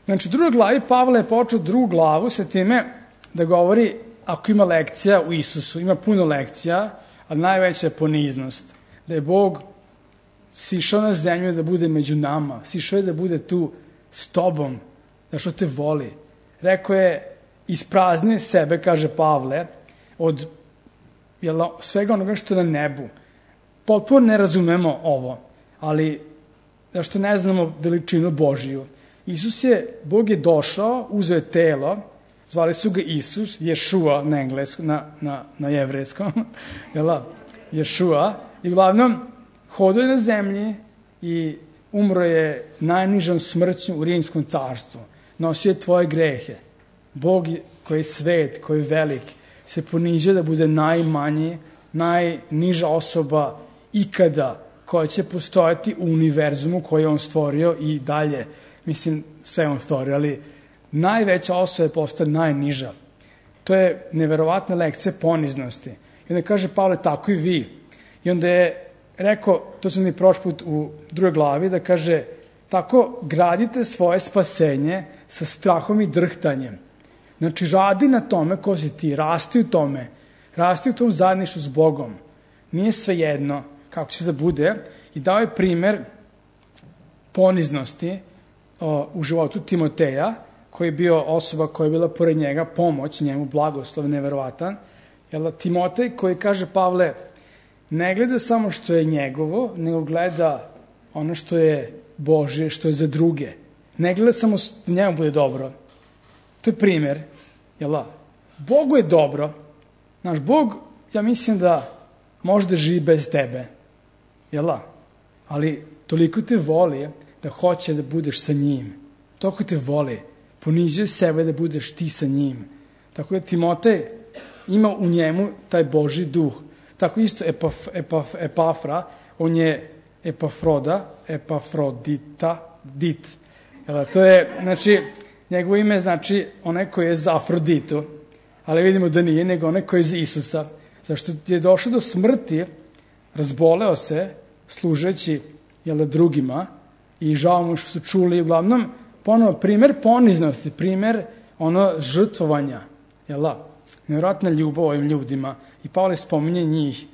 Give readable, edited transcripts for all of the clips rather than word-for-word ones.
Znači, u drugoj glavi Pavle je počeo drugu glavu sa time da govori, ako ima lekcija u Isusu, ima puno lekcija, ali najveća je poniznost. Da je Bog sišao na zemlju da bude među nama, sišao je da bude tu s tobom, da što te voli. Rekao je, ispraznio sebe, kaže Pavle, od svega onoga što je na nebu. Potpuno ne razumemo ovo, ali zašto ne znamo veličinu Božiju. Bog je došao, uzeo je telo, zvali su ga Isus, Ješua na engleskom, na jevrejskom, Ješua, i uglavnom hodao je na zemlji i umro je najnižom smrću u Rimskom carstvu. Nosio je tvoje grehe. Bog koji je svet, koji je velik, se ponižio da bude najmanji, najniža osoba ikada koja će postojati u univerzumu koji je on stvorio i dalje. Mislim, sve on stvorio, ali najveća osoba je postala najniža. To je neverovatna lekcija poniznosti. I onda kaže Pavle, tako i vi. I onda je rekao, to sam mi prošli put u drugoj glavi, da kaže, tako gradite svoje spasenje sa strahom i drhtanjem. Znači, radi na tome ko si ti, rasti u tome, rasti u tom zajedništvu s Bogom. Nije sve jedno kako će da bude. I dao je primer poniznosti u životu Timoteja, koji je bio osoba koja je bila pored njega, pomoć njemu, blagoslov, neverovatan. Timotej koji kaže, Pavle, ne gleda samo što je njegovo, nego gleda ono što je Božje, što je za druge. Ne gleda samo da njemu bude dobro. To je primer. Bogu je dobro. Naš Bog, ja mislim da može da živi bez tebe. Ali toliko te voli da hoće da budeš sa njim. Toliko te voli. Ponižio sebe da budeš ti sa njim. Tako da Timotej ima u njemu taj Božji duh. Tako isto Epafra, on je Epafrodit. To je, znači, njegovo ime znači onaj koji je za Afroditu, ali vidimo da nije, nego onaj koji je za Isusa. Zašto je došao do smrti, razboleo se, služeći drugima i žao mu što su čuli, uglavnom, ponovo, primer poniznosti, primer žrtvovanja, nevjerojatna ljubav ovim ljudima. I Pavle spominje njih,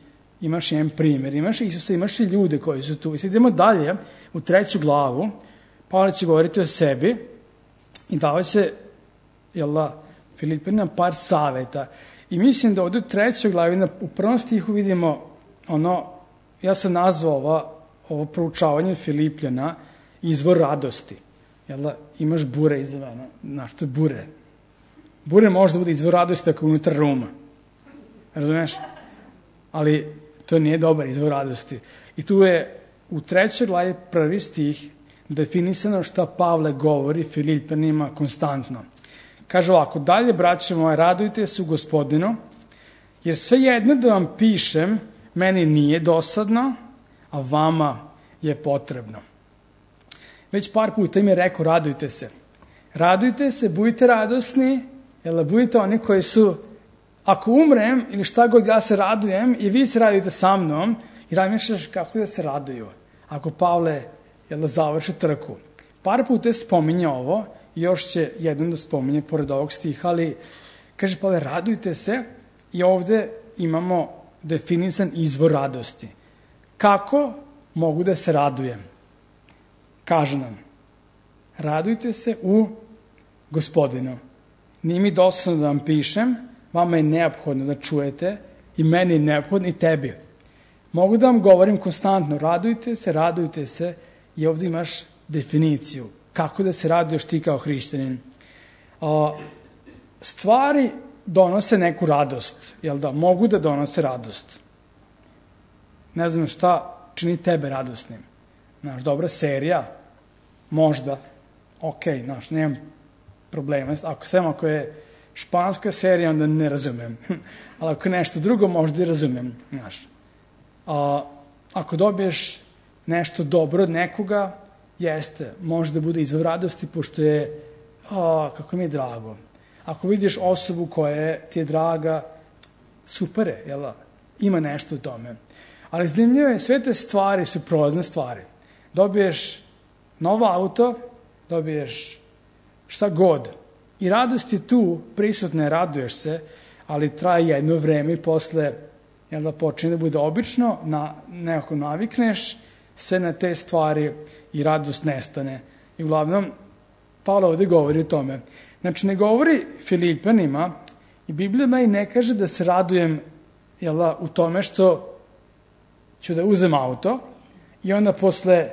imaš jedan primer, imaš Isusa, imaš i ljude koji su tu. I sad idemo dalje, u 3. glavu, Pavle će govoriti o sebi i dao će, Filipinima par saveta. I mislim da ovdje u 3. glavi, u 1. stihu vidimo ja sam nazvao ovo proučavanje Filipljana izvor radosti. Imaš bure izvana, znaš, to je bure. Bure može da bude izvor radosti ako je unutar ruma. Razumeš? Ali to nije dobar izvor radosti. I tu je u 3. glavi 1. stih definisano šta Pavle govori Filipljanima konstantno. Kaže ovako, dalje, braće moje, radujte se u Gospodinu, jer sve jedno da vam pišem, meni nije dosadno, a vama je potrebno. Već par puta im je rekao, radujte se. Radujte se, budite radosni, budite oni koji su, ako umrem ili šta god ja se radujem i vi se radujete sa mnom i razmišljaš kako da se raduju. Ako Pavle završi trku. Par puta spominje ovo i još će jednom da spominje pored ovog stiha, ali kaže Pavle, radujte se i ovde imamo definisan izvor radosti. Kako mogu da se radujem? Kaže nam, radujte se u Gospodinu. Nije mi dosadno da vam pišem, vama je neophodno da čujete i meni je neophodno i tebi. Mogu da vam govorim konstantno, radujte se i ovdje imaš definiciju. Kako da se raduješ ti kao hrišćanin? Stvari donose neku radost, mogu da donose radost. Ne znam šta čini tebe radosnim. Dobra serija, možda, nemam problema. Ako je španska serija, onda ne razumem. Ali ako je nešto drugo, možda i razumem. Ako dobiješ nešto dobro od nekoga, jeste, može da bude izvor radosti, pošto je, kako mi je drago. Ako vidiš osobu koja ti je draga, super je, ima nešto u tome. Ali zanimljivo je, sve te stvari su prolazne stvari. Dobiješ novo auto, dobiješ šta god. I radost je tu, prisutna je, raduješ se, ali traje jedno vreme i posle počne da bude obično, nekako navikneš se na te stvari i radost nestane. I uglavnom, Pavle ovde govori o tome. Znači, ne govori Filipljanima i Biblija me i ne kaže da se radujem u tome što ću da uzem auto i onda posle,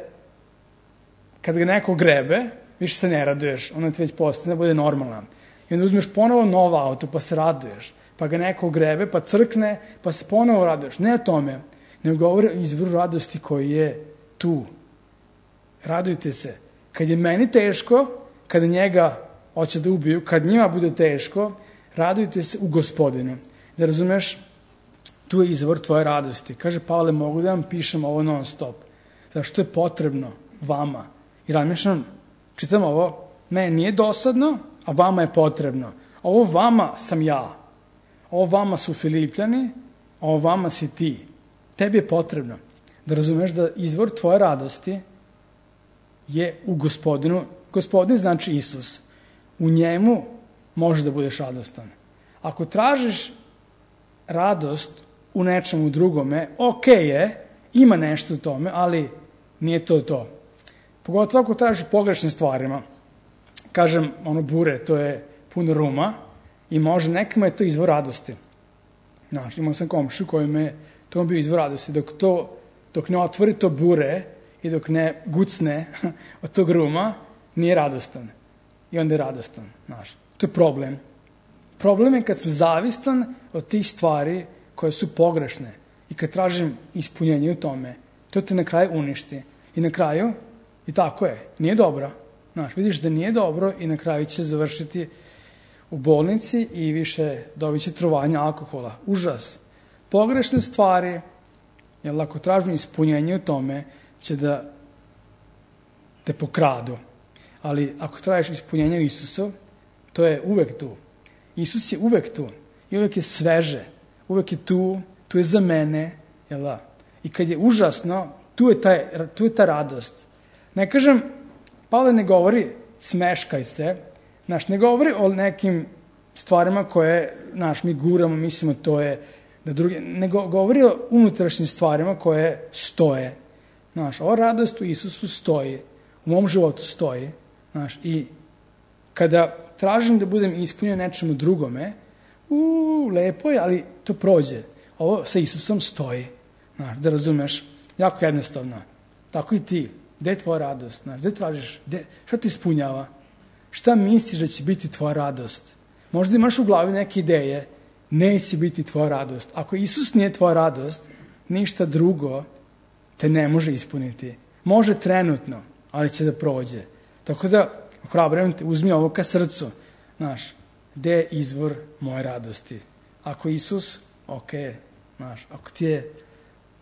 kad ga neko grebe, više se ne raduješ, onda ti već postane bude normalan. I onda uzmeš ponovo novo auto pa se raduješ, pa ga neko grebe, pa crkne, pa se ponovo raduješ. Ne o tome, nego govori o izvoru radosti koji je tu. Radujte se. Kad je meni teško, kada njega hoće da ubiju, kad njima bude teško, radujte se u Gospodinu. Da razumeš, tu je izvor tvoje radosti. Kaže Pavle, mogu da vam pišem ovo non stop. Zašto je potrebno vama? I razmišljam, čitam ovo, meni nije dosadno, a vama je potrebno. Ovo vama sam ja. Ovo vama su Filipljani, a ovo vama si ti. Tebi je potrebno da razumeš da izvor tvoje radosti je u Gospodinu. Gospodin znači Isus. U njemu možeš da budeš radostan. Ako tražiš radost u nečemu drugome, je, ima nešto u tome, ali nije to. Pogotovo ako tražiš pogrešnim stvarima. Kažem, bure, to je puno ruma i može nekima je to izvor radosti. Znaš, imao sam komšu koji to bio izvor radosti. Dok ne otvori to bure i dok ne gucne od tog ruma, nije radostan. I onda je radostan. Znaš, to je problem. Problem je kad sam zavistan od tih stvari koje su pogrešne i kad tražim ispunjenje u tome, to te na kraju uništi. I na kraju, i tako je, nije dobro. Znaš, vidiš da nije dobro i na kraju će završiti u bolnici i više dobit će trovanje alkohola. Užas. Pogrešne stvari, jer ako tražim ispunjenje u tome, će da te pokradu. Ali ako tražiš ispunjenje u Isusu, to je uvek tu. Isus je uvek tu. I uvek je sveže. Uvek je tu je za mene. I kad je užasno, tu je ta radost. Ne kažem, Pavle ne govori smeškaj se, ne govori o nekim stvarima koje, mi guramo, mislimo to je, ne govori o unutrašnjim stvarima koje stoje. Ova radost u Isusu stoji, u mom životu stoji. I kada tražim da budem ispunjen nečemu drugome, lepo je, ali to prođe. Ovo sa Isusom stoji. Da razumeš, jako jednostavno. Tako i ti. Gde je tvoja radost? Gde tražiš? Šta ti ispunjava? Šta misliš da će biti tvoja radost? Možda imaš u glavi neke ideje, neće biti tvoja radost. Ako Isus nije tvoja radost, ništa drugo te ne može ispuniti. Može trenutno, ali će da prođe. Tako da, ohrabrujem te, uzmi ovo ka srcu. Gde je izvor moje radosti? Ako Isus, ako ti je,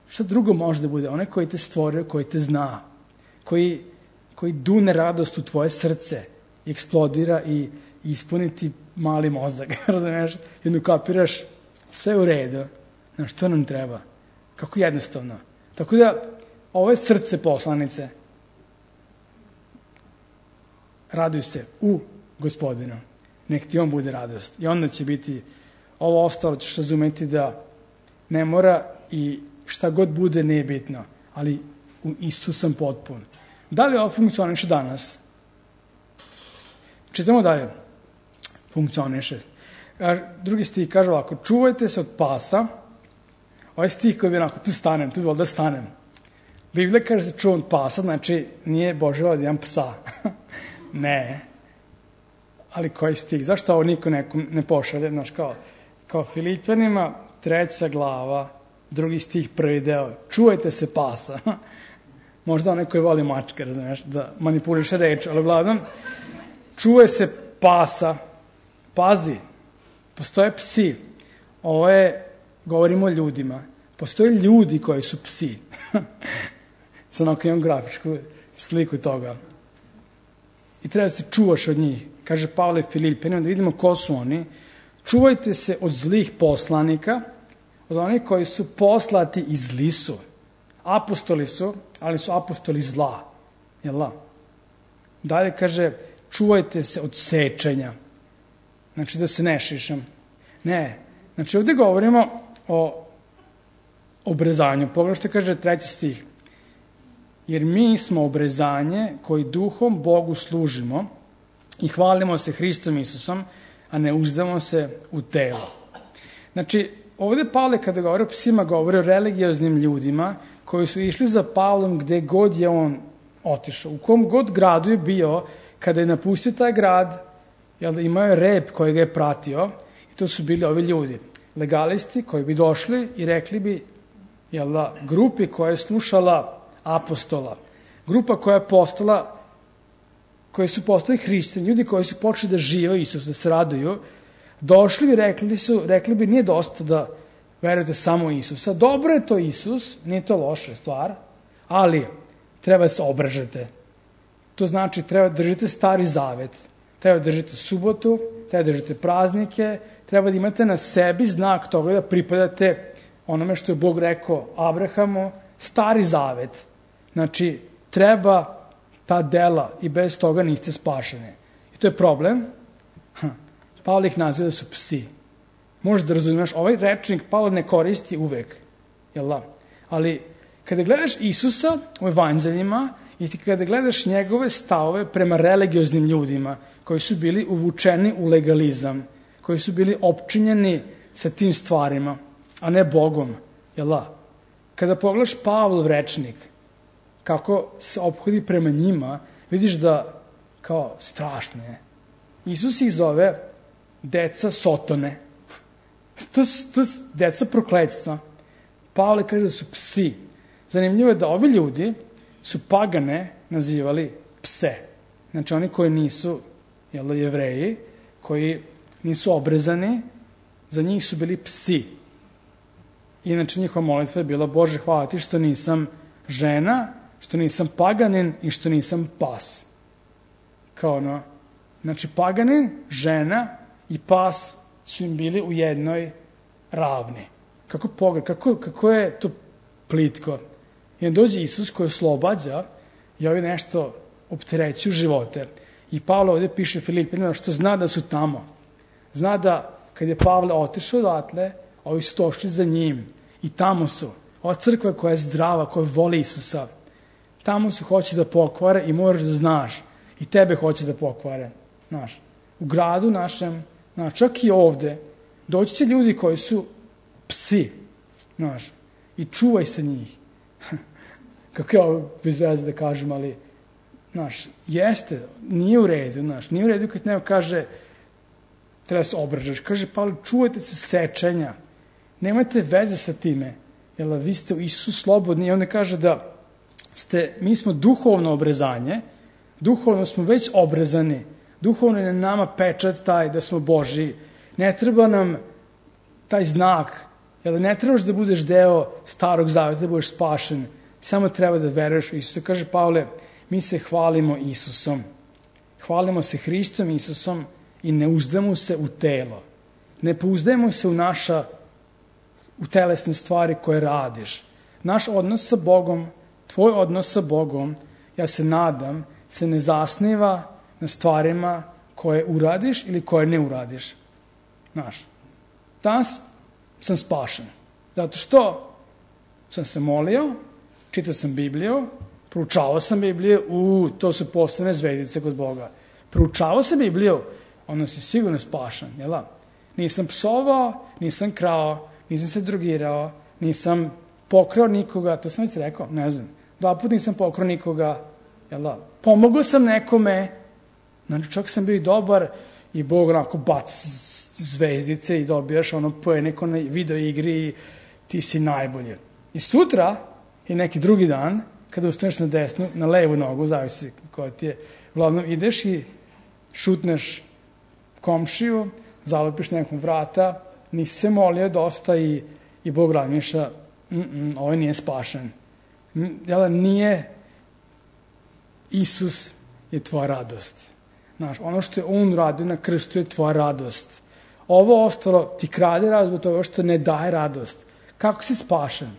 šta drugo može da bude? Onaj koji te stvorio, koji te zna, koji dune radost u tvoje srce i eksplodira i ispuniti mali mozak, razumiješ? Jedno kapiraš, sve u redu. Što nam treba? Kako jednostavno. Tako da, ovo je srce poslanice. Raduj se u Gospodinu. Nek ti on bude radost. I onda će biti, ovo ostalo ćeš razumeti da ne mora i šta god bude nije bitno. Ali u Isus sam potpun. Da li ovo funkcioniše danas? Čitamo dalje. Funkcioniše. Drugi stih kaže ovako, čuvajte se od pasa. Ovaj stih koji bi onako, tu bi volio da stanem. Biblija kaže se čuvam od pasa, znači nije Boževa da imam psa. Ne. Ali koji stih? Zašto ovo niko ne pošalje? Kao Filipjanima, 3. glava, 2. stih, 1. deo. Čuvajte se pasa. Možda onaj koji voli mačke, razumiješ, da manipuliše reč, ali uglavnom, čuvaj se pasa. Pazi, postoje psi. Ovo je, govorimo o ljudima. Postoje ljudi koji su psi. Sad onako imam grafičku sliku toga. I treba se čuvaš od njih. Kaže Pavle Filipjanima, da vidimo ko su oni. Čuvajte se od zlih poslanika, od onih koji su poslati i zli su. Apostoli su, ali su apostoli zla. Jel' da? Dalje kaže, čuvajte se od sečenja. Znači da se ne šišam. Ne. Znači ovdje govorimo o obrezanju. Pogledaj što kaže 3. stih. Jer mi smo obrezanje koji duhom Bogu služimo i hvalimo se Hristom Isusom, a ne uzdamo se u telo. Znači, ovdje Pavle kada govori o psima, govori o religioznim ljudima koji su išli za Pavlom gde god je on otišao. U kom god gradu je bio, kada je napustio taj grad, imao je rep koji ga je pratio i to su bili ovi ljudi. Legalisti koji bi došli i rekli bi grupi koja je slušala apostola, grupa koja je koji su postali hrišćani, ljudi koji su počeli da žive Isus, da se raduju, došli i rekli bi nije dosta da verujete samo u Isusa. Dobro je to Isus, nije to loša stvar, ali treba da se obražete. To znači treba da držite stari zavet, treba da držite subotu, treba da držite praznike, treba da imate na sebi znak toga da pripadate onome što je Bog rekao Abrahamu, stari zavet. Znači, treba ta dela i bez toga niste spašeni. I to je problem. Pavle ih naziva da su psi. Možeš da razumiješ, ovaj rečnik Pavle ne koristi uvek. Ali kada gledaš Isusa u evanđeljima i kada gledaš njegove stavove prema religioznim ljudima koji su bili uvučeni u legalizam, koji su bili opčinjeni sa tim stvarima, a ne Bogom. Kada pogledaš Pavlov rečnik, kako se ophodí prema njima, vidiš da kao strašno je. Isus ih zove deca Sotone. To su deca prokletstva. Pavle kaže da su psi. Zanimljivo je da ovi ljudi su pagane nazivali pse. Znači oni koji nisu Jevreji, koji nisu obrezani, za njih su bili psi. Inače njihova molitva je bila: Bože, hvala ti što nisam žena, što nisam paganin i što nisam pas. Znači paganin, žena i pas su im bili u jednoj ravni. Kako je to plitko. I onda dođe Isus koji oslobađa i ovi nešto opterećuju živote. I Pavle ovdje piše Filipinima što zna da su tamo. Zna da kad je Pavle otišao odatle, ovi su došli za njim. I tamo su. Ova crkva koja je zdrava, koja voli Isusa, tamo su hoće da pokvare i moraš da znaš. I tebe hoće da pokvare. U gradu našem, čak i ovde, doći će ljudi koji su psi. I čuvaj se njih. Kako je ovo bez veze da kažem, ali jeste, nije u redu. Nije u redu kad neko kaže treba se obražaš. Kaže Pavle, čuvajte se sečenja. Nemajte veze sa time. Vi ste u Isusu slobodni. I onda kaže da mi smo duhovno obrezanje, duhovno smo već obrezani, duhovno je na nama pečat taj da smo Božji. Ne treba nam taj znak, ne trebaš da budeš deo starog zaveta, da budeš spašen, samo treba da veruješ u Isusa. Kaže Pavle, mi se hvalimo Isusom, hvalimo se Hristom Isusom i ne uzdamo se u telo. Ne pouzdajemo se u telesne stvari koje radiš. Naš odnos sa Bogom, tvoj odnos sa Bogom, ja se nadam, se ne zasniva na stvarima koje uradiš ili koje ne uradiš. Danas sam spašen. Zato što sam se molio, čitao sam Bibliju, proučavao sam Bibliju, to su postane zvezdice kod Boga. Proučavao sam Bibliju, onda si sigurno spašen, jel' Nisam psovao, nisam krao, nisam se drogirao, nisam pokrao nikoga, to sam već rekao, ne znam. 2 puta nisam pokrao nikoga, pomogao sam nekome, čak sam bio i dobar i Bog onako baci zvezdice i dobijaš poene kao na video igri i ti si najbolji. I sutra i neki drugi dan, kada ustaneš na desnu, na levu nogu, zavisi koja ti je, uglavnom ideš i šutneš komšiju, zalupiš nekom vrata, nisi se molio dosta i Bog razmišlja, ovaj nije spašen. Nije Isus je tvoja radost. Ono što je on radio na krstu je tvoja radost. Ovo ostalo ti krade radost zbog toga što ne daje radost. Kako si spašen?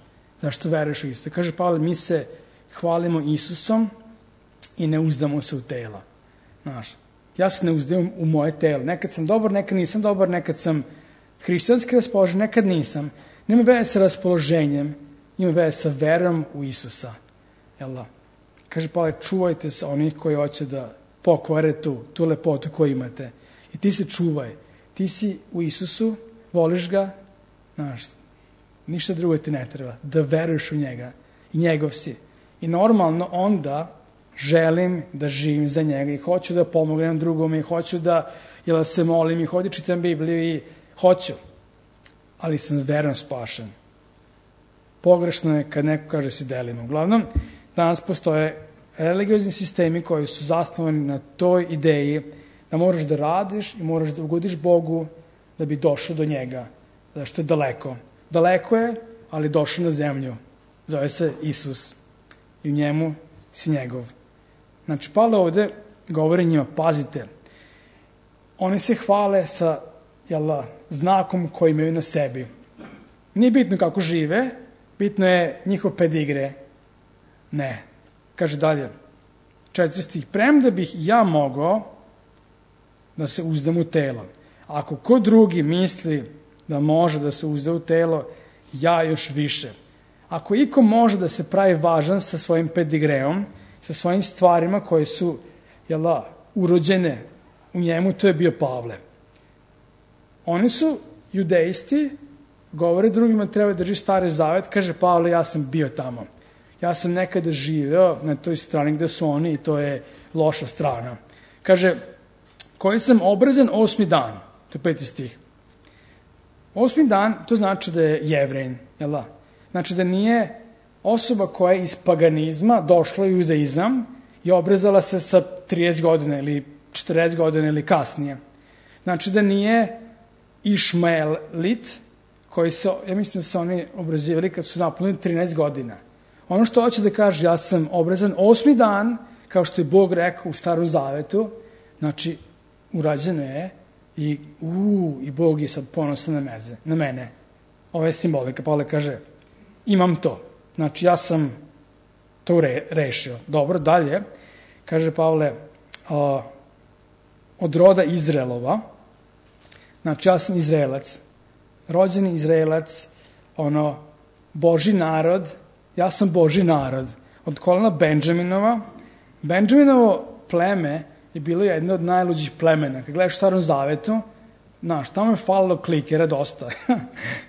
Zašto veruješ u Isusa? Kaže Pavle, mi se hvalimo Isusom i ne uzdamo se u tela. Ja se ne uzdajem u moje telo. Nekad sam dobar, nekad nisam dobar, nekad sam hrišćanski raspoložen, nekad nisam. Nema veze sa raspoloženjem, ima veze sa verom u Isusa. Jel da? Kaže Pavle, čuvajte se onih koji hoće da pokvare tu lepotu koju imate. I ti se čuvaj. Ti si u Isusu, voliš ga, znaš, ništa drugo ti ne treba. Da veruješ u njega. I njegov si. I normalno onda želim da živim za njega i hoću da pomognem drugome i hoću da se molim i hoću da čitam Bibliju i hoću. Ali sam verno spašen. Pogrešno je kad neko kaže si delimo. Uglavnom, danas postoje religiozni sistemi koji su zasnovani na toj ideji da moraš da radiš i moraš da ugodiš Bogu da bi došao do njega. Zašto je daleko. Daleko je, ali došao na zemlju. Zove se Isus. I u njemu si njegov. Znači, Pavle ovde govori njima, pazite, oni se hvale sa znakom koji imaju na sebi. Nije bitno kako žive, bitno je njihov pedigre. Ne. Kaže dalje, 4 stih, premda bih ja mogao da se uzdam u telo. Ako ko drugi misli da može da se uzda u telo, ja još više. Ako iko može da se pravi važan sa svojim pedigreom, sa svojim stvarima koje su urođene u njemu, to je bio Pavle. Oni su judejsti, govore drugima treba da drži Stari Zavet, kaže Pavle, ja sam bio tamo. Ja sam nekada živeo na toj strani gde su oni i to je loša strana. Kaže, koji sam obrezan 8. dan, to je 5. stih. 8. dan, to znači da je Jevrejin, jel da? Znači da nije osoba koja je iz paganizma došla u judaizam i obrezala se sa 30 godina ili 40 godina ili kasnije. Znači da nije Išmaelit, koji se, ja mislim da se oni obrezivali kad su napunili 13 godina. Ono što hoće da kaže, ja sam obrezan 8. dan, kao što je Bog rekao u Starom Zavetu, znači urađeno je i Bog je sad ponosan na mene. Ovo je simbolika. Pavle kaže, imam to. Znači, ja sam to rešio. Dobro, dalje, kaže Pavle, od roda Izraelova, znači, ja sam Izraelac, rođeni Izraelac, Božji narod, ja sam Božji narod. Od kolena Benđaminova. Benđaminovo pleme je bilo jedno od najluđih plemena. Kad gledaš u Starom Zavetu, znaš, tamo je falilo klikera dosta.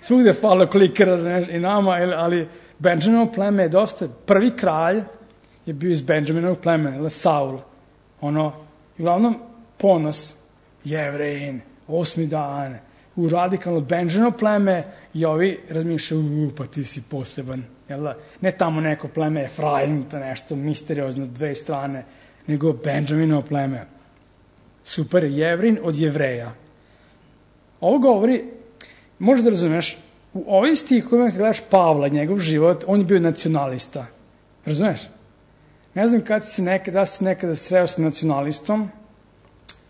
Svugde je falilo klikera i nama, ali Benđaminovo pleme je dosta. Prvi kralj je bio iz Benđaminovog plemena, Saul. Uglavnom, ponos, Jevrejin, 8. dan, u radikalno Benđaminovo pleme i ovi razmišljaju, pa ti si poseban. Ne tamo neko pleme Efraim, to nešto misteriozno, 2 strane, nego Benđaminovo pleme. Super, Jevrin od Jevreja. Ovo govori, možeš da razumeš, u ovim stihovima kad gledaš Pavla, njegov život, on je bio nacionalista. Razumeš? Ne znam da si nekada sreo sa nacionalistom,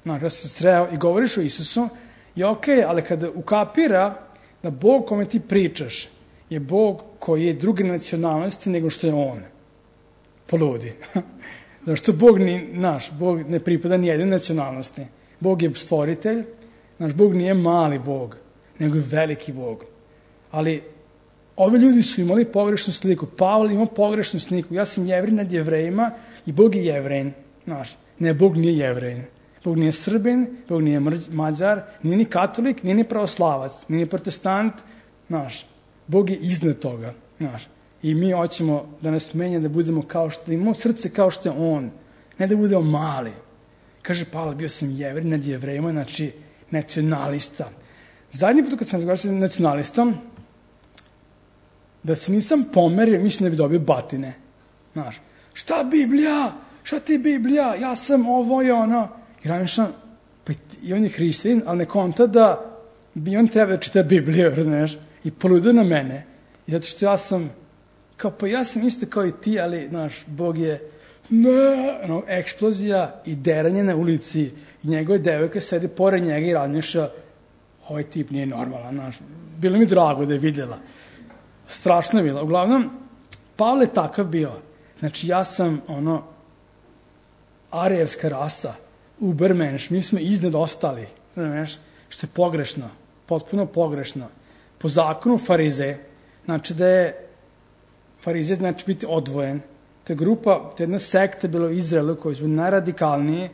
znači da si sreo i govoriš o Isusu, je okej, ali kada ukapira da Bog kome ti pričaš je Bog koji je druge nacionalnosti nego što je on. Poludi. Zato što Bog ne pripada ni jednoj nacionalnosti. Bog je stvoritelj, naš Bog nije mali Bog, nego je veliki Bog. Ali ovi ljudi su imali pogrešnu sliku. Pavle ima pogrešnu sliku. Ja sam Jevrin nad Jevrejima i Bog je Jevrejin. Ne, Bog nije Jevrejin. Bog nije Srbin, Bog nije Mađar, nije ni katolik, nije ni pravoslavac, nije ni protestant. Bog je iznad toga. I mi hoćemo da nas menja, da budemo da imamo srce kao što je on. Ne da budemo mali. Kaže Pavle, bio sam Jevrin nad Jevrejima, znači nacionalista. Zadnji put kad sam razgovarao sa nacionalistom, da se nisam pomerio, mislim da bi dobio batine. Šta Biblija? Šta ti Biblija? Ja sam ovo i ono. I on je hrišćanin, ali ne konta da bi on treba da čita Bibliju, razumiješ? I poludio na mene. I zato što ja sam isto kao i ti, ali, Bog je eksplozija i deranje na ulici i njegove devojka sedi pored njega i razmišlja, ovaj tip nije normalan, Bilo mi drago da je vidjela. Strašno je bilo. Uglavnom, Pavle takav bio. Znači, ja sam, arijevska rasa. ubermenš, mi smo iznad ostali, znaš, što je pogrešno, potpuno pogrešno. Po zakonu farize, znači da je farize znači biti odvojen. To je grupa, to je jedna sekta bila u Izraelu koji su najradikalniji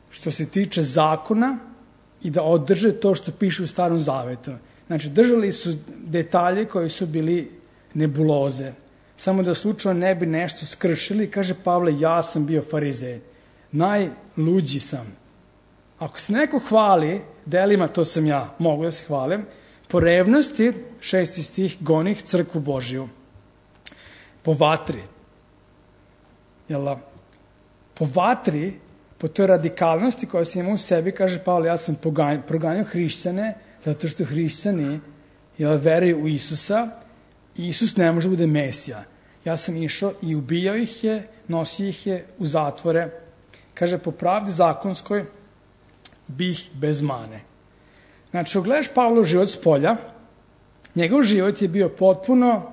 što se tiče zakona i da održe to što piše u Starom Zavetu. Znači, držali su detalje koji su bili nebuloze. Samo da slučajno ne bi nešto skršili, kaže Pavle, ja sam bio farizej. Najluđi sam. Ako se neko hvali delima, to sam ja, mogu da se hvalim, po revnosti, 6. stih, gonih crkvu Božiju. Po vatri. Po vatri, po toj radikalnosti koja se ima u sebi, kaže Pavle, ja sam proganjao hrišćane, zato što hrišćani veruju u Isusa i Isus ne može bude Mesija. Ja sam išao i ubijao ih je, nosio ih je u zatvore. Kaže, po pravdi zakonskoj bih bez mane. Znači, gledaš Pavlov život s polja, njegov život je bio potpuno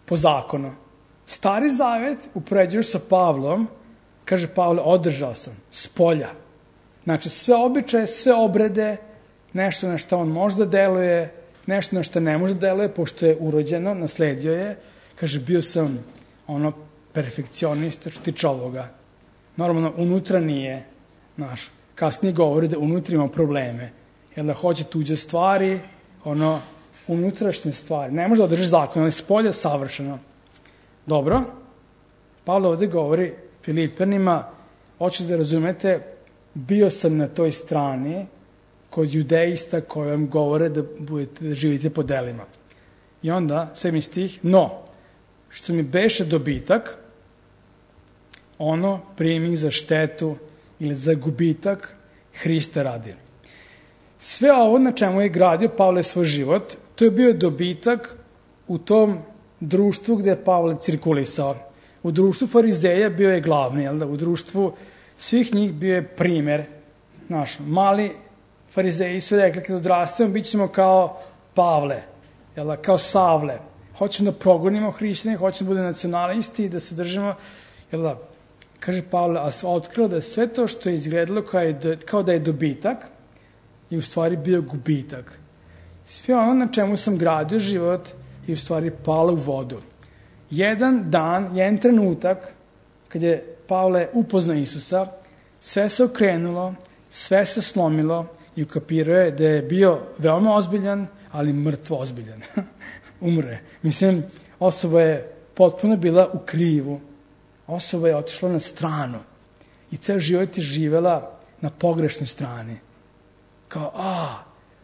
po zakonu. Stari zavet upoređuješ sa Pavlom, kaže Pavle, održao sam s polja. Znači, sve običaje, sve obrede, nešto na što on možda deluje, nešto na što ne može deluje, pošto je urođeno, nasledio je. Kaže, bio sam perfekcionista što tiče ovoga. Normalno, unutra nije, kasnije govori da unutra ima probleme. Jer da hoće tuđe stvari, unutrašnje stvari. Ne može da održi zakon, ali s polja savršeno. Dobro, Pavle ovde govori Filipljanima, hoću da razumete, bio sam na toj strani kod judeista koji vam govore da živite po delima. I onda, 7. stih, no, što mi beše dobitak, ono primih za štetu ili za gubitak Hrista radi. Sve ovo na čemu je gradio Pavle svoj život, to je bio dobitak u tom društvu gde je Pavle cirkulisao. U društvu farizeja bio je glavni, u društvu svih njih bio je primer. Mali farizeji su rekli, kad odrastemo, bit ćemo kao Pavle, kao Savle. Hoćemo da progonimo hrišćane, hoćemo da bude nacionalisti i da se držimo. Kaže Pavle, a se otkrilo da sve to što je izgledalo kao da je dobitak, je u stvari bio gubitak. Sve ono na čemu sam gradio život je u stvari palo u vodu. Jedan dan, jedan trenutak, kad je Pavle upoznao Isusa, sve se okrenulo, sve se slomilo i ukapirao je da je bio veoma ozbiljan, ali mrtvo ozbiljan. Umre. Mislim, osoba je potpuno bila u krivu. Osoba je otišla na stranu i ceo život je živela na pogrešnoj strani. Kao,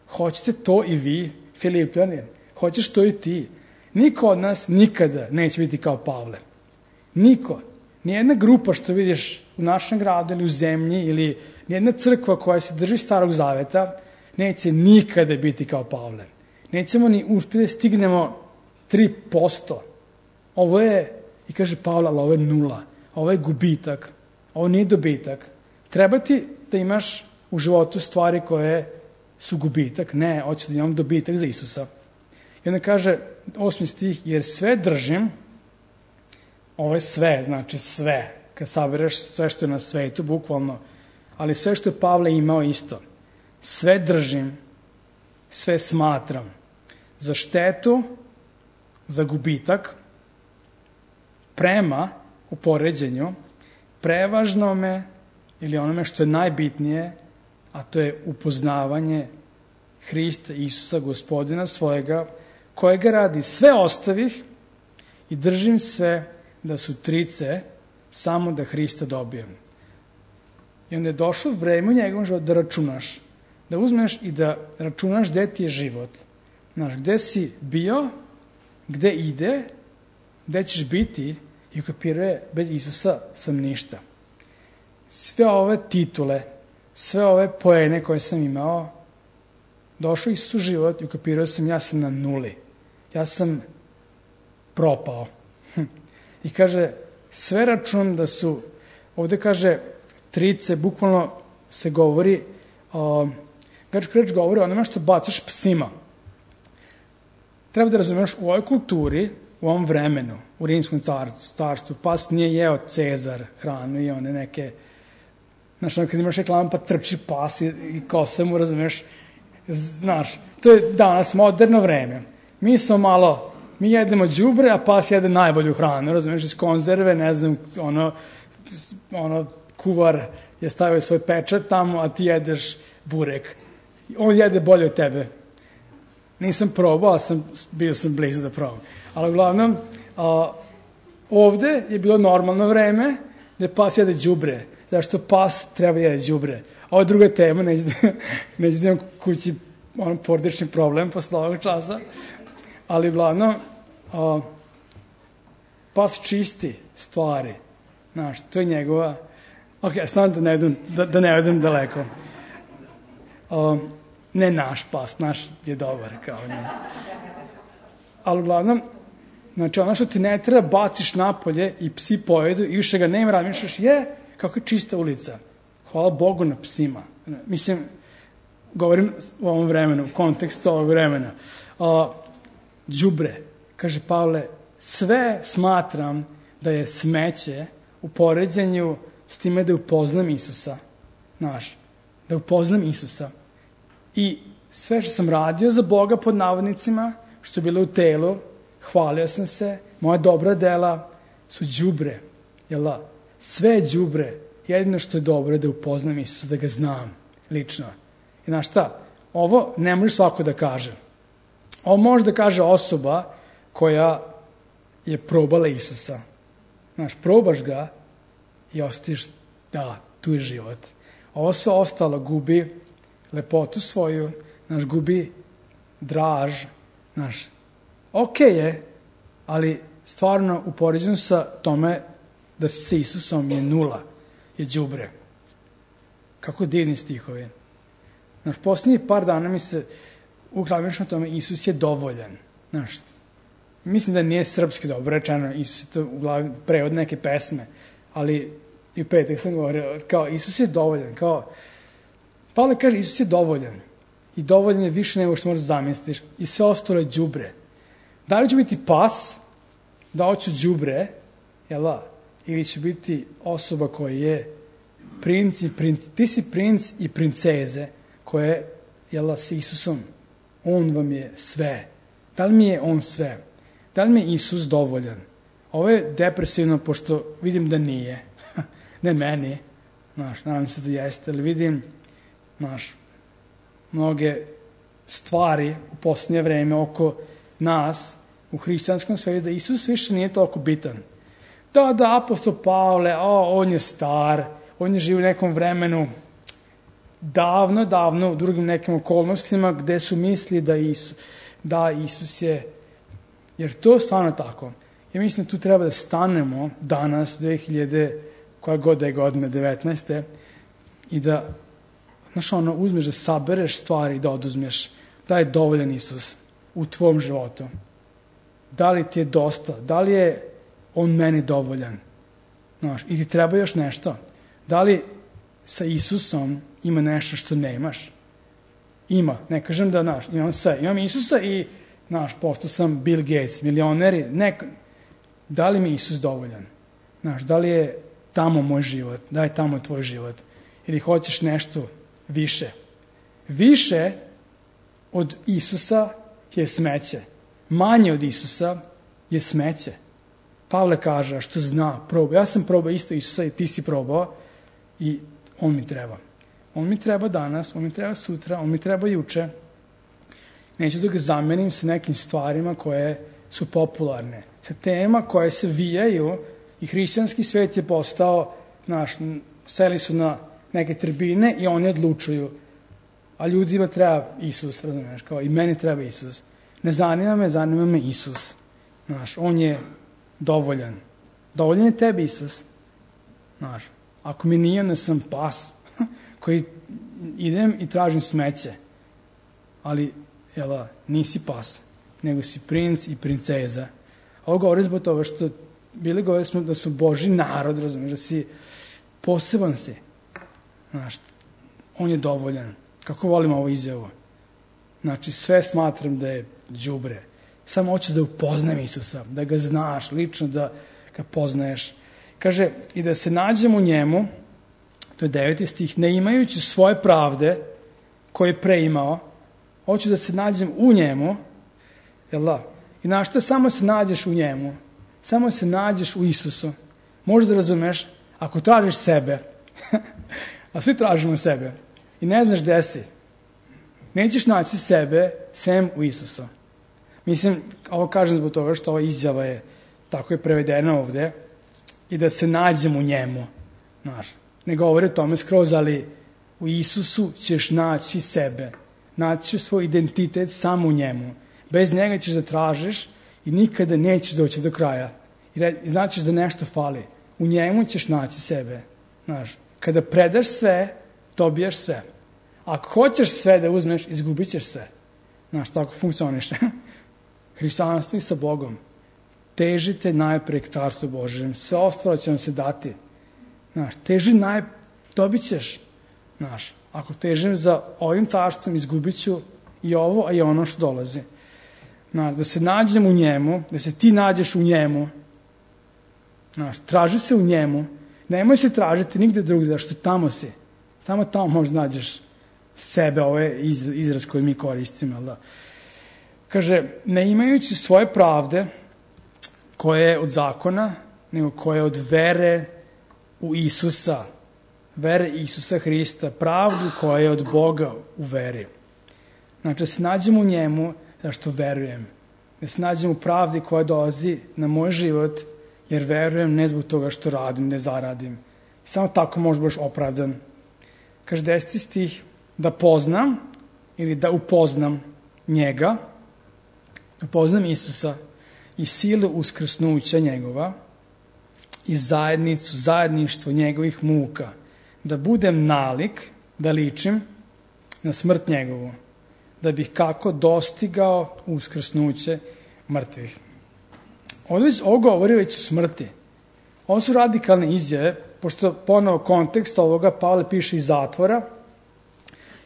hoćete to i vi, Filipljani? Hoćeš to i ti? Niko od nas nikada neće biti kao Pavle. Niko. Nijedna grupa što vidiš u našem gradu ili u zemlji ili nijedna crkva koja se drži Starog Zaveta neće nikada biti kao Pavle. Nećemo ni uspjeti da stignemo 3%. Ovo je, i kaže Pavle, ali ovo je nula. Ovo je gubitak. Ovo nije dobitak. Treba ti da imaš u životu stvari koje su gubitak. Ne, hoću da imam dobitak za Isusa. I onda kaže, 8. stih, jer sve držim, ovo je sve, znači sve, kad sabereš sve što je na svetu, bukvalno, ali sve što je Pavle imao isto. Sve držim, sve smatram. Za štetu, za gubitak, prema, u poređenju, prevažnome ili onome što je najbitnije, a to je upoznavanje Hrista Isusa, Gospodina svojega, kojega radi sve ostavih i držim sve da su trice, samo da Hrista dobijem. I onda je došlo vreme u njegovom životu da računaš, da uzmeš i da računaš gde ti je život. Znaš, gde si bio, gde ide, gde ćeš biti i ukapiruje, bez Isusa sam ništa. Sve ove titule, sve ove poene koje sam imao, došao Isus u život i ukapirao sam, ja sam na nuli. Ja sam propao. I kaže, sve računam da su, ovde kaže, trice, bukvalno se govori, grčka reč govori o onome što bacaš psima. Treba da razumeš, u ovoj kulturi, u ovom vremenu, u rimskom carstvu, pas nije jeo Cezar hranu i one neke Znaš, kad imaš reklamu pa trči pas i kose mu, razumeš, znaš, to je danas moderno vreme. Mi jedemo đubre, a pas jede najbolju hranu, razumeš, iz konzerve, ne znam, kuvar je stavio svoj pečat tamo, a ti jedeš burek. On jede bolje od tebe. Nisam probao, ali bio sam blizu da probam. Ali uglavnom, ovde je bilo normalno vreme da pas jede đubre. Zašto pas treba jede đubre. Ovo je druga tema, neću da imam kući porodični problem posle ovog časa. Ali uglavnom, pas čisti stvari. Znaš, to je njegova... Ok, sam da ne odem daleko. Ne naš pas, naš je dobar kao njim. Ali uglavnom, znači ono što ti ne treba baciš napolje i psi pojedu i više ga nema, razmišljaš, kako je čista ulica. Hvala Bogu na psima. Mislim, govorim u ovom vremenu, u kontekstu ovog vremena. Đubre, kaže Pavle, sve smatram da je smeće u poređenju s time da upoznam Isusa. Znaš, da upoznam Isusa. I sve što sam radio za Boga pod navodnicima, što je bilo u telu, hvalio sam se, moja dobra dela su đubre. Sve je đubre. Jedino što je dobro je da upoznam Isusa, da ga znam lično. I znaš šta, ovo ne može svako da kaže. Ovo može da kaže osoba koja je probala Isusa. Znaš, probaš ga i osjetiš, da, tu je život. Ovo sve ostalo gubi lepotu svoju, znaš, gubi draž, znaš, okej je, ali stvarno u poređenju sa tome da si sa Isusom je nula, je đubre. Kako divni stihovi. Znaš, posljednjih par dana mi se uklavlješ na tome, Isus je dovoljan. Znaš, mislim da nije srpski dobro rečeno, Isus je to u glavi prevod neke pesme, ali i u petak sam govorio, kao Isus je dovoljan, kao Pavle kaže, Isus je dovoljan. I dovoljan je više nego što možeš zamisliš. I sve ostalo je đubre. Da li ću biti pas, da hoću đubre, ili ću biti osoba koja je princ i ti si princ i princeze koje, s Isusom, on vam je sve. Da li mi je on sve? Da li mi je Isus dovoljan? Ovo je depresivno, pošto vidim da nije. Ne meni. Nadam se da jeste, ali vidim mnoge stvari u posljednje vreme oko nas u hrišćanskom svijetu da Isus više nije toliko bitan. Da, apostol Pavle, on je star, on je živ u nekom vremenu davno, u drugim nekim okolnostima gde su misli da Isus je, jer to je stvarno tako. Ja mislim da tu treba da stanemo danas, 2000, koja god je godine, 19. I da uzmeš da sabereš stvari i da oduzmeš. Da je dovoljan Isus u tvom životu. Da li ti je dosta? Da li je on meni dovoljan? I ti treba još nešto? Da li sa Isusom ima nešto što nemaš? Ima. Ne kažem da, imam sve. Imam Isusa i, postao sam Bill Gates, milioneri. Da li mi je Isus dovoljan? Da li je tamo moj život? Da je tamo tvoj život? Ili hoćeš nešto više? Više od Isusa je smeće. Manje od Isusa je smeće. Pavle kaže, što zna, probao. Ja sam probao isto Isusa i ti si probao i on mi treba. On mi treba danas, on mi treba sutra, on mi treba juče. Neću da ga zamenim sa nekim stvarima koje su popularne. Sa tema koje se vijaju i hrišćanski svet je postao, seli su na neke tribine i oni odlučuju. A ljudima treba Isus, razumiješ, kao i meni treba Isus. Ne zanima me Isus. On je dovoljan. Dovoljan je tebi Isus. Ako mi nije, onda sam pas koji idem i tražim smeće. Ali, nisi pas, nego si princ i princeza. Ovo govori zbog toga što bili govori smo da smo Božji narod, razumiješ, da si poseban si. On je dovoljan. Kako volim ovo izjavu? Sve smatram da je đubre. Samo hoću da upoznam Isusa, da ga znaš lično, da ga poznaješ. Kaže, i da se nađem u njemu To je 9. stih. Ne imajući svoje pravde koje je pre imao, hoću da se nađem u njemu, jel da? I znaš što, samo se nađeš u njemu, samo se nađeš u Isusu. Možeš da razumeš, ako tražiš sebe, a svi tražimo sebe, i ne znaš gde si, nećeš naći sebe sem u Isusu. Mislim, ovo kažem zbog toga što ova izjava je, tako je prevedena ovde, i da se nađem u njemu. Znaš, ne govori o tome skroz, ali u Isusu ćeš naći sebe. Naći ćeš svoj identitet samo u njemu. Bez njega ćeš da tražiš i nikada nećeš doći do kraja. I značiš da nešto fali. U njemu ćeš naći sebe. Znaš, kada predaš sve, dobijaš sve. Ako hoćeš sve da uzmeš, izgubit ćeš sve. Znaš, tako funkcioniše. Hrišćanstvo i sa Bogom. Težite najpre k Carstvu Božjem. Sve ostalo će vam se dati. Znaš, dobit ćeš. Znaš, ako težim za ovim carstvom, izgubit ću i ovo, a i ono što dolazi. Znaš, da se nađem u njemu, da se ti nađeš u njemu. Znaš, traži se u njemu. Nemoj se tražiti nigde drugde, zašto tamo si. Samo tamo možda nađeš sebe, ovo je izraz koji mi koristimo. Da? Kaže, ne imajući svoje pravde, koje je od zakona, nego koje je od vere u Isusa, vere Isusa Hrista, pravdu koja je od Boga u veri. Znači, da se nađem u njemu, zašto verujem. Da se nađem u pravdi koja dolazi na moj život, jer verujem ne zbog toga što radim, ne zaradim. Samo tako možeš baš opravdan. Kaže 10. stih, da poznam ili da upoznam njega, da upoznam Isusa i silu uskrsnuća njegova i zajedništvo njegovih muka, da budem nalik, da ličim na smrt njegovu, da bih kako dostigao uskrsnuće mrtvih. Ovo govori već o smrti. Ovo su radikalne izjave, pošto ponovo kontekst ovoga Pavle piše iz zatvora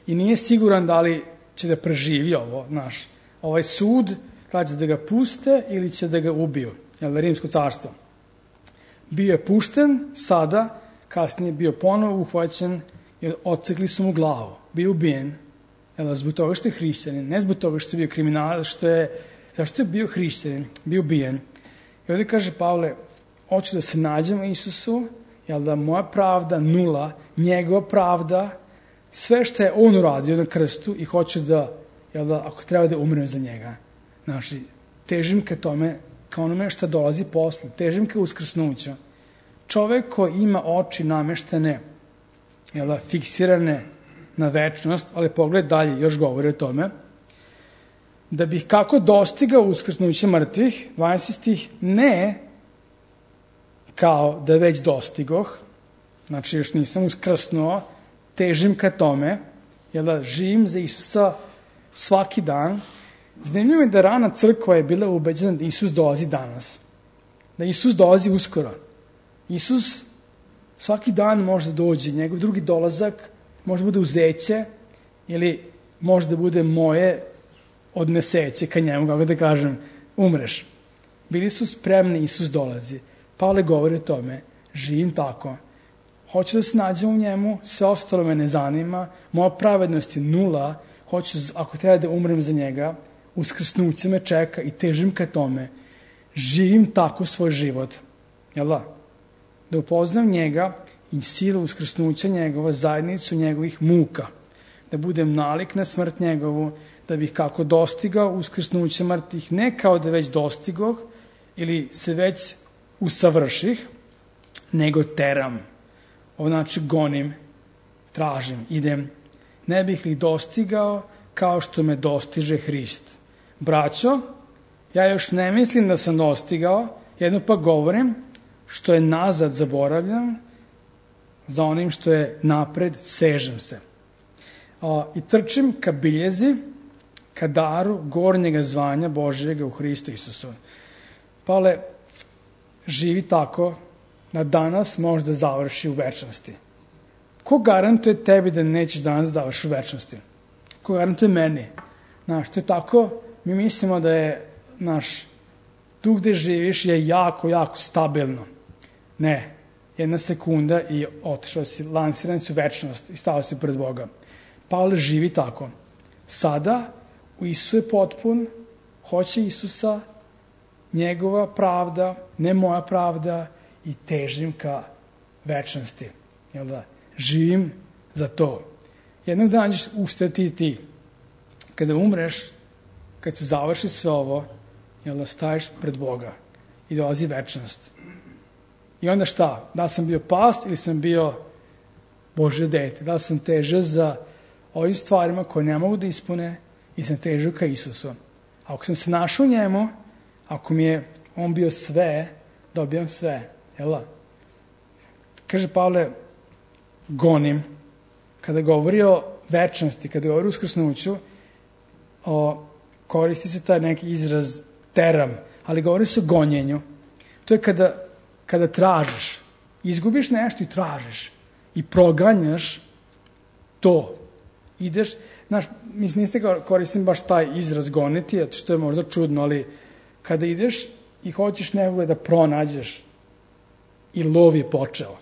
i nije siguran da li će da preživi ovo, znaš. Ovaj sud, da će da ga puste ili će da ga ubiju, jel da, Rimsko carstvo. Bio je pušten sada, kasnije bio ponovo uhvaćen i odsekli su mu glavu. Bio ubijen, jel, zbog toga što je hrišćanin, ne zbog toga što je bio kriminalac, zašto je bio hrišćanin, bio ubijen. I ovdje kaže Pavle, hoću da se nađem u Isusu, jel da, moja pravda nula, njegova pravda, sve što je on uradio na krstu i hoću da, jel da, ako treba da umrem za njega. Znači, težim ka tome, ka onome što dolazi posle, težim ka uskrsnuću. Čovek koji ima oči nameštene, jel da, fiksirane na večnost, ali pogled dalje, još govori o tome, da bih kako dostigao uskrsnuće mrtvih, 12. stih, ne kao da već dostigoh, znači još nisam uskrsnuo, težim ka tome, jel da, živim za Isusa svaki dan. Zanimljivo je da rana crkva je bila ubeđena da Isus dolazi danas, da Isus dolazi uskoro. Isus svaki dan može da dođe, njegov drugi dolazak može da bude uzeće ili može da bude moje odneseće ka njemu, kako da kažem, umreš. Bili su spremni, Isus dolazi. Pavle govori o tome, živim tako. Hoću da se nađem u njemu, sve ostalo me ne zanima, moja pravednost je nula, hoću, ako treba da umrem za njega, uskrsnuće me čeka i težim ka tome. Živim tako svoj život. Jel da? Da upoznam njega i silu uskrsnuća njegova, zajednicu njegovih muka. Da budem nalik na smrt njegovu, da bih kako dostigao uskrsnuće mrtvih, ne kao da već dostigoh ili se već usavrših, nego teram. Ovo znači gonim, tražim, idem. Ne bih li dostigao kao što me dostiže Hrist. Braćo, ja još ne mislim da sam dostigao, jedno pa govorim, što je nazad zaboravljam, za onim što je napred sežem se. I trčim ka biljezi, ka daru gornjega zvanja Božjega u Hristu Isusu. Pavle živi tako da danas može da završi u večnosti. Ko garantuje tebi da nećeš danas završi u večnosti? Ko garantuje meni? Znaš, to je tako, mi mislimo da je tu gde živiš je jako, jako stabilno. Ne, jedna sekunda i otišao si, lansiran si u večnost i stao si pred Boga. Pavle živi tako. Sada u Isusu je potpun, hoće Isusa, njegova pravda, ne moja pravda i težim ka večnosti. Jel da? Živim za to. Jednog dana ćeš ustati i ti. Kada umreš, kad se završi sve ovo, jel da, staješ pred Boga i dolazi večnost. I onda šta? Da li sam bio past ili sam bio Božje dete? Da li sam težio za ovim stvarima koje ne mogu da ispune i sam težio ka Isusu? Ako sam se našao njemu, ako mi je on bio sve, dobijam sve. Jel da? Kaže Pavle, gonim. Kada govori o večnosti, kada govori o uskrsnuću, koristi se taj neki izraz teram, ali govori se o gonjenju. To je kada tražiš, izgubiš nešto i tražiš i proganjaš to. Ideš, znaš, mislim, niste koristim baš taj izraz goniti, što je možda čudno, ali kada ideš i hoćeš nekoga da pronađeš i lov je počeo,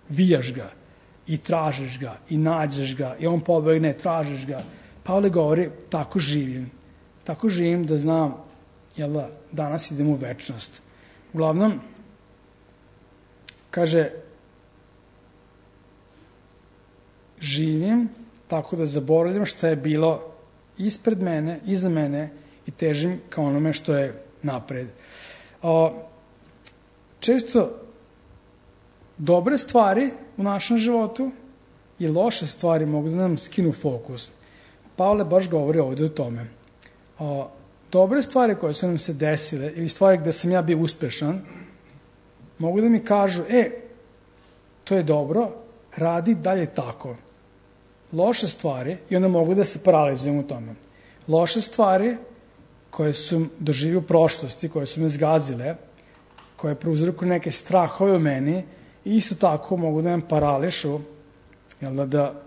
vijaš ga i tražiš ga i nađeš ga i on pobegne, tražiš ga. Pavle govori, tako živim da znam, jel da, danas idem u večnost. Uglavnom, kaže, živim tako da zaboravljam šta je bilo ispred mene, iza mene i težim ka onome što je napred. Često dobre stvari u našem životu i loše stvari mogu da nam skinu fokus. Pavle baš govori ovde o tome. Dobre stvari koje su nam se desile ili stvari gde sam ja bio uspešan, mogu da mi kažu, to je dobro, radi dalje tako. Loše stvari, i onda mogu da se paralizujem u tome. Loše stvari koje su doživio u prošlosti, koje su me zgazile, koje prouzrokuju neke strahove u meni, i isto tako mogu da me parališu, jel da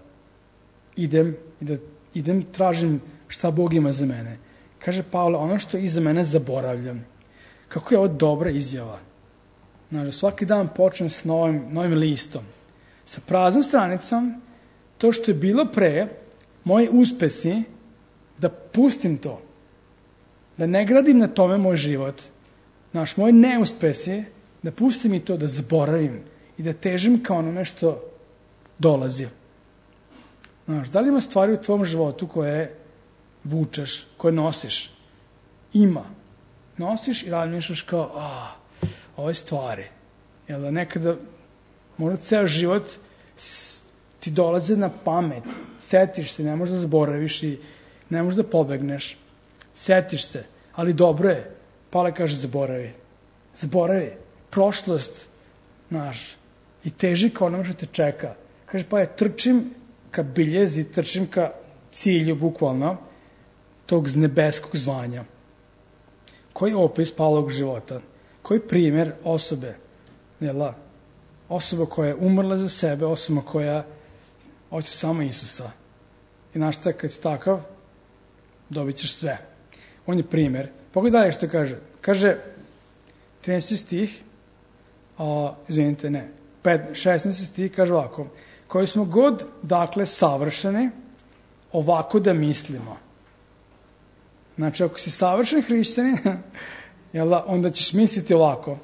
idem, tražim šta Bog ima za mene. Kaže Pavle, ono što je iza mene zaboravljam. Kako je ovo dobra izjava. Znači, svaki dan počnem s novim listom. Sa praznom stranicom, to što je bilo pre, moji uspesi, da pustim to. Da ne gradim na tome moj život. Znači, moji neuspesi, da pustim i to, da zaboravim i da težim kao ono nešto dolazi. Znači, da li ima stvari u tvom životu koje vučeš, koje nosiš? Ima. Nosiš i razmišljaš kao, ove stvari. Jel da nekada, možda ceo život ti dolaze na pamet. Setiš se, ne možeš da zaboraviš i ne možeš da pobegneš. Setiš se, ali dobro je. Pavle kaže, zaboravi. Zaboravi. Prošlost, znaš, i teži kao ono što te čeka. Kaže, pa ja trčim ka biljezi, trčim ka cilju, bukvalno, tog nebeskog zvanja. Koji opis Pavlovog života? Koji primjer osobe? Osoba koja je umrla za sebe, osoba koja hoće samo Isusa. I znaš šta, kad si takav, dobit ćeš sve. On je primjer. Pogledaj dalje što kaže. Kaže, 13. stih, 16. stih, kaže ovako, koji smo god, dakle, savršeni, ovako da mislimo. Znači, ako si savršen hrišćanin, onda ćeš misliti ovako.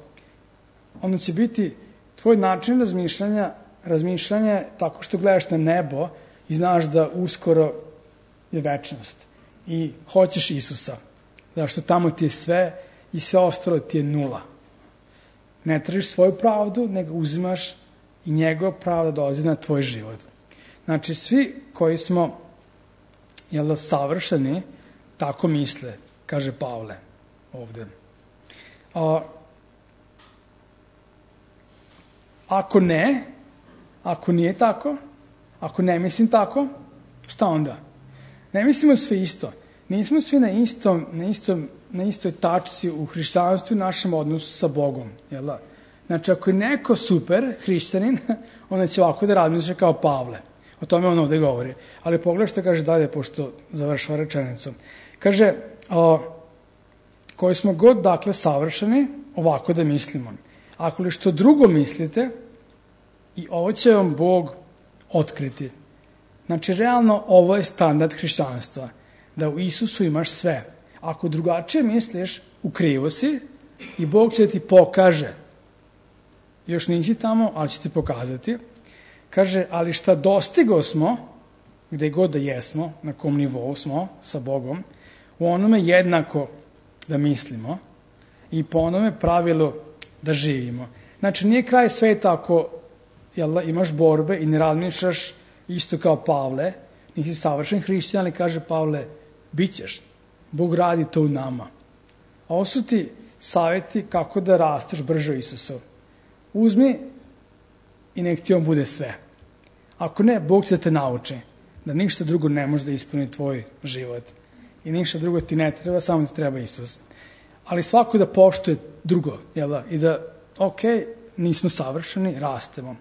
Onda će biti tvoj način razmišljanja tako što gledaš na nebo i znaš da uskoro je večnost. I hoćeš Isusa. Zašto tamo ti je sve i sve ostalo ti je nula. Ne tražiš svoju pravdu, nego uzimaš i njegova pravda dolazi na tvoj život. Znači, svi koji smo savršeni, tako misle, kaže Pavle ovde. Ako nije tako, ako ne mislim tako, šta onda? Ne mislimo svi isto. Nismo svi na istoj tačci u hrišćanstvu i našem odnosu sa Bogom. Jel da? Znači, ako je neko super hrišćanin, onda će ovako da razmišlja kao Pavle. O tome on ovde govori. Ali pogledaj što kaže dalje, pošto završava rečenicu. Kaže, koji smo god, dakle, savršeni, ovako da mislimo. Ako li što drugo mislite, i ovo će vam Bog otkriti. Znači, realno, ovo je standard hrišćanstva, da u Isusu imaš sve. Ako drugačije misliš, u krivu si i Bog će ti pokaže. Još nisi tamo, ali će ti pokazati. Kaže, ali šta dostigo smo, gde god da jesmo, na kom nivou smo sa Bogom, u onome jednako da mislimo i po onome pravilu da živimo. Znači, nije kraj sveta ako imaš borbe i ne razmišljaš isto kao Pavle, nisi savršen hrišćan, ali kaže Pavle, bit ćeš. Bog radi to u nama. A ovo su ti savjeti kako da rasteš brže u Isusu. Uzmi i nek ti on bude sve. Ako ne, Bog će te nauči da ništa drugo ne može da ispuni tvoj život. I ništa drugo ti ne treba, samo ti treba Isus. Ali svako da poštuje drugo, jel da? I da, ok, nismo savršeni, rastemo.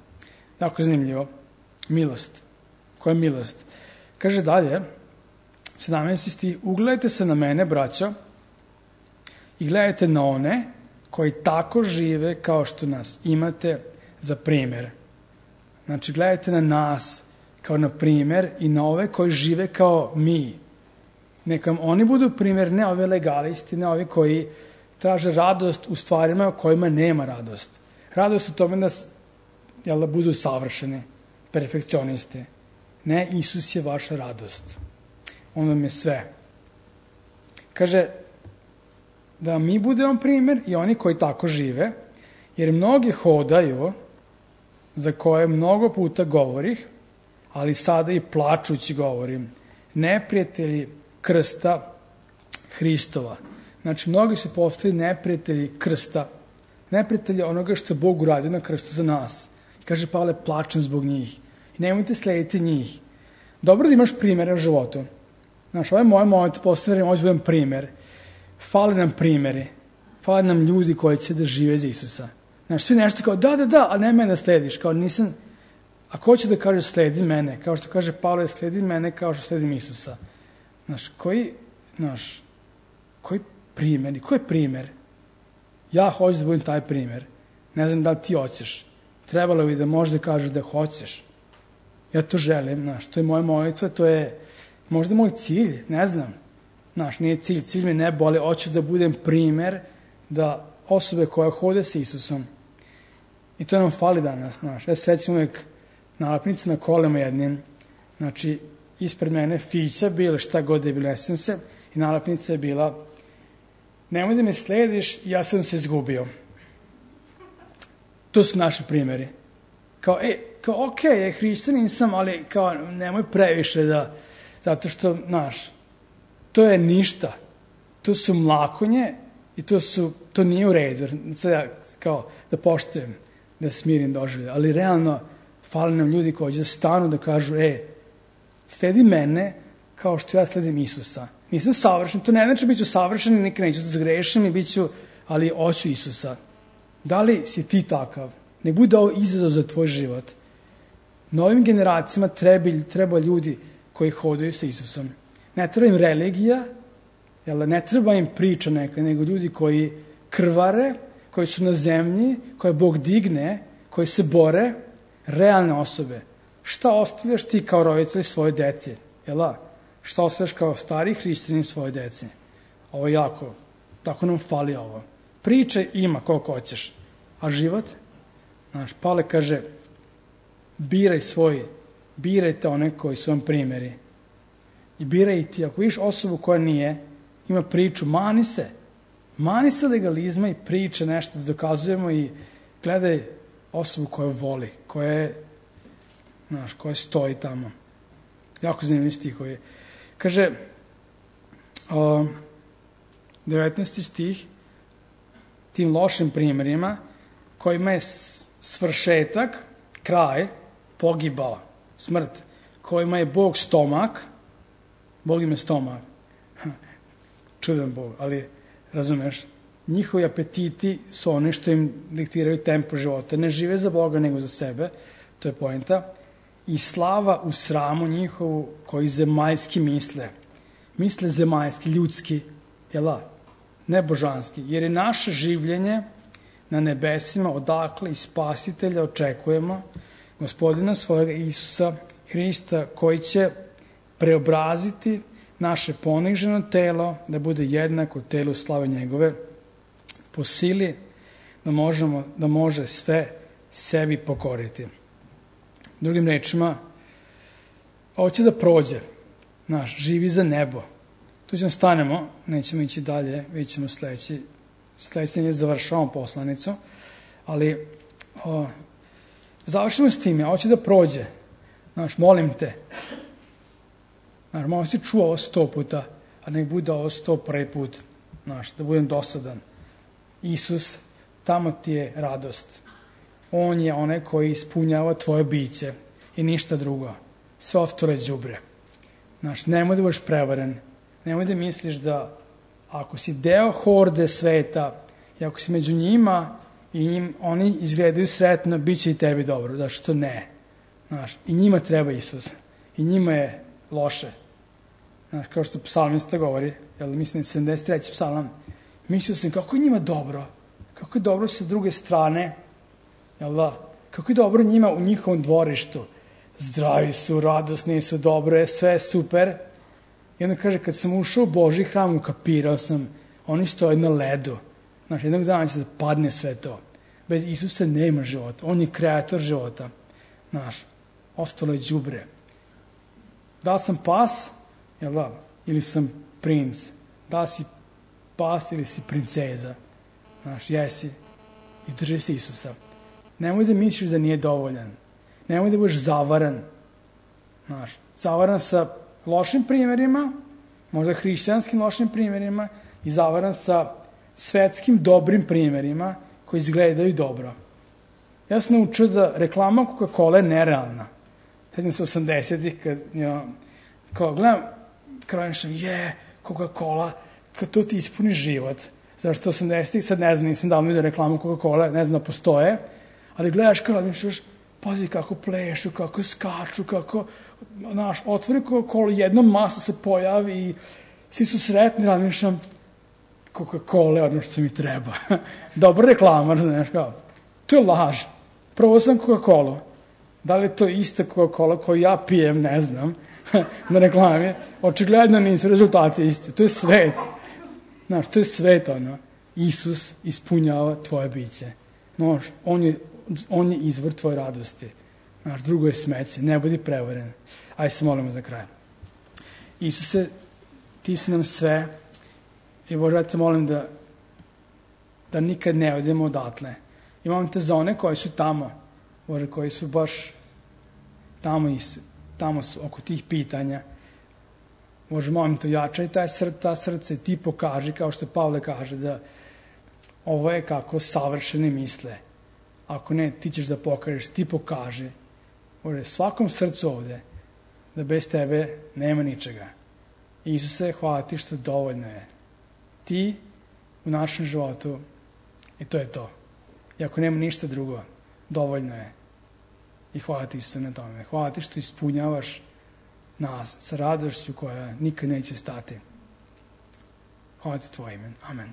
Jako zanimljivo. Milost. Koja je milost? Kaže dalje, 17. stih, ugledajte se na mene, braćo, i gledajte na one koji tako žive kao što nas imate za primjer. Znači, gledajte na nas kao na primjer i na ove koji žive kao mi. Neka oni budu primjer, ne ove legalisti, ne ovi koji traže radost u stvarima u kojima nema radost. Radost u tome da budu savršeni, perfekcionisti. Ne, Isus je vaša radost. On vam je sve. Kaže, da mi budemo primjer i oni koji tako žive, jer mnogi hodaju, za koje mnogo puta govorih, ali sada i plačući govorim, neprijatelji krsta Hristova. Znači, mnogi su postali neprijatelji krsta, neprijatelji onoga što je Bog uradio na krstu za nas. Kaže Pavle, plačem zbog njih. I nemojte slediti njih. Dobro da imaš primjere u životu. Znaš, ovaj moj moment postavljamo, ovo budem primjer. Fale nam primjeri. Fale nam ljudi koji će da žive za Isusa. Znaš, svi nešto kao, da, ali ne mene da slediš. Kao nisam, a ko će da kaže sledi mene? Kao što kaže Pavle, sledi mene kao što sledim Isusa. Znaš, koji primjer? Koji je primjer? Ja hoću da budem taj primjer. Ne znam da li ti hoćeš. Trebalo bi da možda kažeš da hoćeš. Ja to želim, znaš, to je moja molitva, to je možda moj cilj, ne znam. Znaš, nije cilj mi ne boli, hoću da budem primjer da osobe koje hode sa Isusom. I to nam fali danas, znaš. Ja sećam uvijek nalepnice na kolima jednim, znači, ispred mene fića bila, šta god je bilo, nesam se, i nalepnica je bila, nemoj da me slediš, ja sam se izgubio. To su naši primjeri. Kao, okej, hrišćanin sam, ali kao, nemoj previše da, zato što, znaš, to je ništa. To su mlakonje i to nije u redu. Sad ja, kao, da poštujem, da smirim doživlje. Ali realno, fali nam ljudi koji će stanu da kažu, sledi mene kao što ja sledim Isusa. Nisam savršen, to ne znači bit ću savršen i nikad neću da zagrešim i bit ću, ali hoću Isusa. Da li si ti takav? Ne bude ovo izazov za tvoj život. Novim generacijama treba ljudi koji hodaju sa Isusom. Ne treba im religija, ne treba im priča neka, nego ljudi koji krvare, koji su na zemlji, koje Bog digne, koji se bore, realne osobe. Šta ostavljaš ti kao roditelj svoje dece? Šta ostavljaš kao stari hrišćanin svoje dece? Ovo je jako, tako nam fali ovo. Priče ima koliko hoćeš, a život? Znaš, Pavle kaže, birajte one koji su vam primjeri. I biraj ti, ako vidiš osobu koja nije, ima priču, mani se legalizma i priče nešto da dokazujemo i gledaj osobu koja voli, koja stoji tamo. Jako zanimljiv stihovi. Kaže, 19. stih, tim lošim primjerima, kojima je svršetak, kraj, pogibao, smrt, kojima je Bog stomak, Bog im je stomak, čudan Bog, ali razumeš, njihovi apetiti su one što im diktiraju tempo života, ne žive za Boga nego za sebe, to je poenta, i slava u sramu njihovu koji zemaljski misle zemaljski, ljudski, ne božanski, jer je naše življenje na nebesima odakle i Spasitelja očekujemo, Gospodina svojega Isusa Hrista, koji će preobraziti naše poniženo telo da bude jednako telu slave njegove, po sili da može sve sebi pokoriti. Drugim rečima, hoće da prođe, živi za nebo. Tu ćemo stanemo, nećemo ići dalje, vidjet ćemo sledeće završavamo poslanicu, ali završimo s tim, hoće da prođe. Molim te, malo si čuo ovo 100 puta, a nek bude ovo 101 put, da budem dosadan. Isus, tamo ti je radost. On je onaj koji ispunjava tvoje biće i ništa drugo. Sve ostalo je đubre. Nemoj da budeš prevaren. Nemoj da misliš da ako si deo horde sveta i ako si među njima i oni izgledaju sretno, bit će i tebi dobro. Da što ne. I njima treba Isus. I njima je loše. Kao što psalmista govori, mislim 73. psalam, mislio sam kako je njima dobro. Kako je dobro sa druge strane. Kako je dobro njima u njihovom dvorištu. Zdravi su, radosni su, dobre, sve je super. I onda kaže, kad sam ušao u Božji hram, ukapirao sam, oni stoje na ledu. Jednog dana će da padne sve to. Bez Isusa nema života. On je kreator života. Ostalo je đubre. Da li sam pas, ili sam princ? Da li si pas ili si princeza? Jesi. I drži se Isusa. Nemoj da misliš da nije dovoljan. Nemoj da budeš zavaran. Zavaran sa lošim primjerima, možda hrišćanskim lošim primjerima, i zavaran sa svetskim dobrim primjerima koji izgledaju dobro. Ja sam naučio da reklama Coca-Cola je nerealna. Sjećam se 80-ih, kao gledam, kronišam, Coca-Cola, kad to ti ispuni život. Zašto 80-ih, sad ne znam, nisam davno vidio reklamu Coca-Cola, ne znam da postoje, ali gledaš kao razmišljaš, pazi kako plešu, kako skaču, kako, otvori Coca-Cola, jedna masa se pojavi i svi su sretni, razmišljam, Coca-Cola je ono što mi treba. Dobra reklama, znaš kao. To je laž. Probao sam Coca-Cola. Da li je to ista Coca-Cola koju ja pijem, ne znam, na reklami. Očigledno nisu rezultati isti. To je svet. Znaš, to je svet, Isus ispunjava tvoje biće. On je izvor tvoje radosti. Drugo je smeće. Ne budi prevaren. Ajde se molimo za kraj. Isuse, ti si nam sve. I Bože, ja te molim da nikad ne odemo odatle. I molim te za one koji su tamo, Bože, koji su baš tamo su oko tih pitanja. Bože, molim te, jačaj ta srce, ti pokaži, kao što Pavle kaže, da ovo je kako savršeni misle. Ako ne, ti ćeš da pokažeš, ti pokaži. Bože, svakom srcu ovde, da bez tebe nema ničega. Isuse, hvala ti što dovoljno je. Ti u našem životu i to je to. I ako nema ništa drugo, dovoljno je. I hvala ti Isuse na tome. Hvala ti što ispunjavaš nas sa radošću koja nikad neće stati. Hvala ti tvoje ime. Amen.